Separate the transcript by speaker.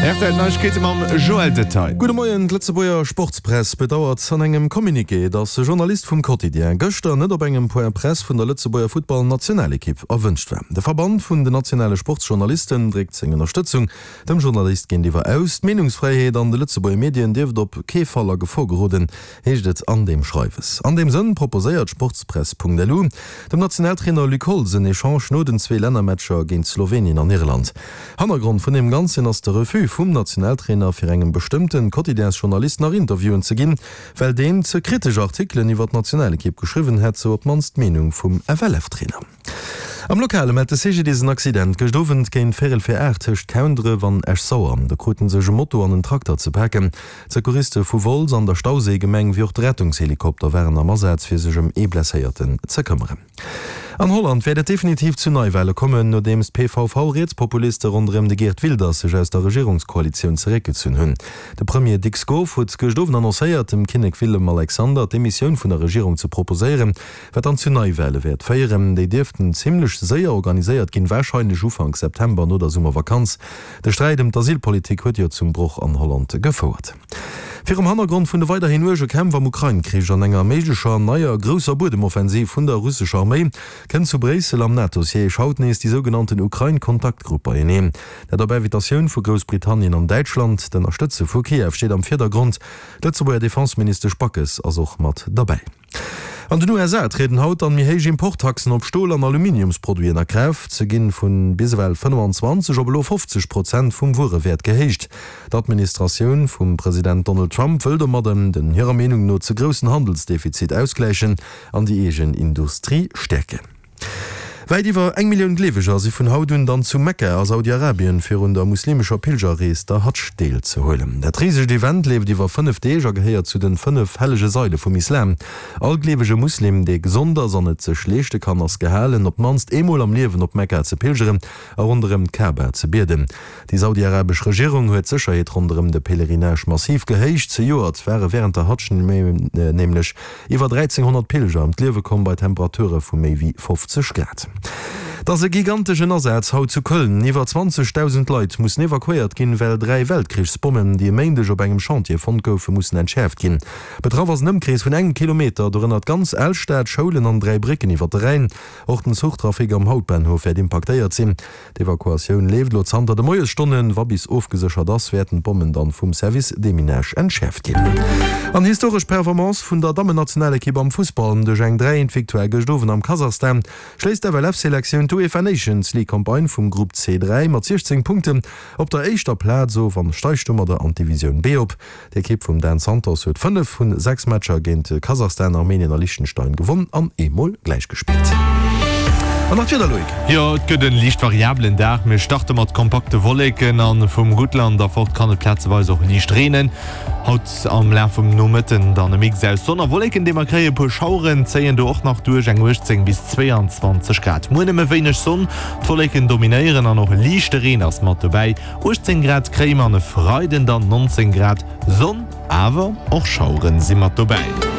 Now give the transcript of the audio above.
Speaker 1: Rtl Neiegkeete mam Joël Detail.
Speaker 2: Gudde Moien, D'Lëtzebuerger Sportspress bedauert an engem Communiqué, datt e Journalist vum Quotidien gëschter net op engem Point Presse vun der Lëtzebuerger Futtball-Nationalekipp erwënscht war. De Verband vun den nationale Sportsjournalisten dréckt seng Ënnerstëtzung dem Journalist géintiwwer aus. D'Meenungsfräiheet an de Lëtzebuerger Medien dierft op kee Fall a Gefor geroden, heescht et an deem Schreiwes. An deem Sënn proposéiert Sportspress.lu dem Nationaltrainer Luc Holtz en Echange no den zwee Lännermatcher géint Slowenien an Irland. Hannergrond vun deem Ganzen ass de Refus vum Nationaltrainer fir engem bestëmmte Quotidiensjournalist nach Interviewen ze ginn, well deen ze kritesch Artikelen iwwer d'Nationalekipp geschriwwen hätt, sou op d'mannst d'Meenung vum FLF-Trainer. Am Lokale mellt de CGDIS en Accident gëscht Owend géint véirel vir 8 tëscht Koundref an Esch-Sauer. Do krute sech e Moto an en Trakter ze paken. D'Secouriste vu Wolz an der Stauséigemeng wéi och de Rettungshelikopter waren am Asaz fir sech ëm ee Blesséierten ze këmmeren. An Holland wäert et definitiv zu Neiwale kommen, nodeems d'PVV-Rietspopuliste ronderëm de Geert Wilders sech aus der Regierungskoalitioun zeréckgezunn hunn. De Premier Dick Schoof huet gëscht Owend annoncéiert, dem Kinnek Willem-Alexander d'Demissioun vun der Regierung ze proposéieren, wat dann zu Neiwale wäert féieren. Déi dierften zimmlech séier organiséiert ginn, warscheinlech Ufank September no der Summervakanz. De Sträit ëm d'Asylpolitik huet jo zum Broch an Holland gefouert. Virum Hannergrond vun de weiderhin uerge Kämpf am Ukrain-Krich an enger méiglecher neier grousser Buedemoffensiv vun der russescher Arméi, kënnt zu Bréissel am NATO-Siège haut nees déi sougenannten Ukrain-Kontaktgrupp beieneen. Dat op Invitatioun vu Groussbritannien an Däitschland. D'Ënnerstëtze vu Kiew steet am Virdergrond. D'Lëtzebuerger Defenseministesch Backes ass och mat derbäi. An den USA trieden haut dann méi héich Importtaxen op Stol an Aluminiumsproduiten a Kraaft. Se ginn vun bis ewell 25 op elo 50 Prozent vum Wuerewäert gehéicht. D'Administratioun vum President Donald Trump wëll domadden den hirer Meenung no ze groussen Handelsdefizit ausgläichen an déi eegen Industrie stäerken. Wäit iwwer eng Millioun Gleeweger si vun haut un dann zu Mekka a Saudi-Arabien, fir un der muslimescher Pilgerrees, der Hadsch, deelzehuelen. Dat risegt Event leeft iwwer 5 Deeg a gehéiert zu den 5 hellege Saile vum Islam. All gleewege Muslim, dee gesond ass an et sech leeschte kann, ass gehalen, op d'mannst eemol am Liewen op Mekka ze pilgeren a ronderëm d'Kaaba ze bieden. Déi saudi-arabesch Regierung huet d'Sécherheet ronderëm de Pèlerinage massiv gehéicht. Zejoert ware wärend der Hadsch nämlech Iwwer 1.300 Pilger ëm d'Liewe komm bei Temperature vu méi wéi 50 Grad. Et ass e giganteschen Asaz haut zu Köln. Iwwer 20.000 Leit mussen evakuéiert ginn, well 3 Weltkrichsbommen, déi e Méindeg op engem Chantier fonnt goufen, mussen entschäerft ginn. Betraff ass en Ëmkrees vun engem Kilometer, dorënner d'ganz Alstad, Schoulen an 3 Brécken iwwer de Rhäin. Och den Zuchtrafic am Hauptbahnhof wäert impaktéiert sinn. D'Evakuatioun leeft elo zanter de Moiesstonnen. Wa bis ofgeséchert ass, wäerten d'Bommen dann vum Service Deminage entschäerft ginn. An historesch Performance vun der Dammennationalekipp am Fussball. Duerch eng 3 Eent Victoire gëscht Owend am Kasachstan schléisst d'FLF-Selektioun d'UEFA Nations League Campagne vum Grupp C3 mat 16 Punkten op der éischter Plaz of an steigt domadder an d'Divisioun B op. D'Ekipp vum Dan Santos huet 5 vun 6 Matcher géint Kasachstan, Armenien a Liechtenstein gewonn an eemol gläich gespillt. An nach d'Wieder, Loïc?
Speaker 1: Jo, et gëtt en liicht variabelen Dag. Mir starte mat kompakte Wolleken an vum Guttland erfort kann et plazeweis och liicht reenen. Haut am Laf vum Nomëtten dann e Mix aus Sonn a Wolleken, dee mer kréien. E puer Schaueren zéien do och nach duerch, eng 18 bis 22 Grad. Muer nëmme wéineg Sonn, d'Wolleken dominéieren an och e liichte Reen ass mat dobäi. 18 Grad kréie mer an e Freiden dann 19 Grad, Sonn awer och Schaueren si mat dobäi.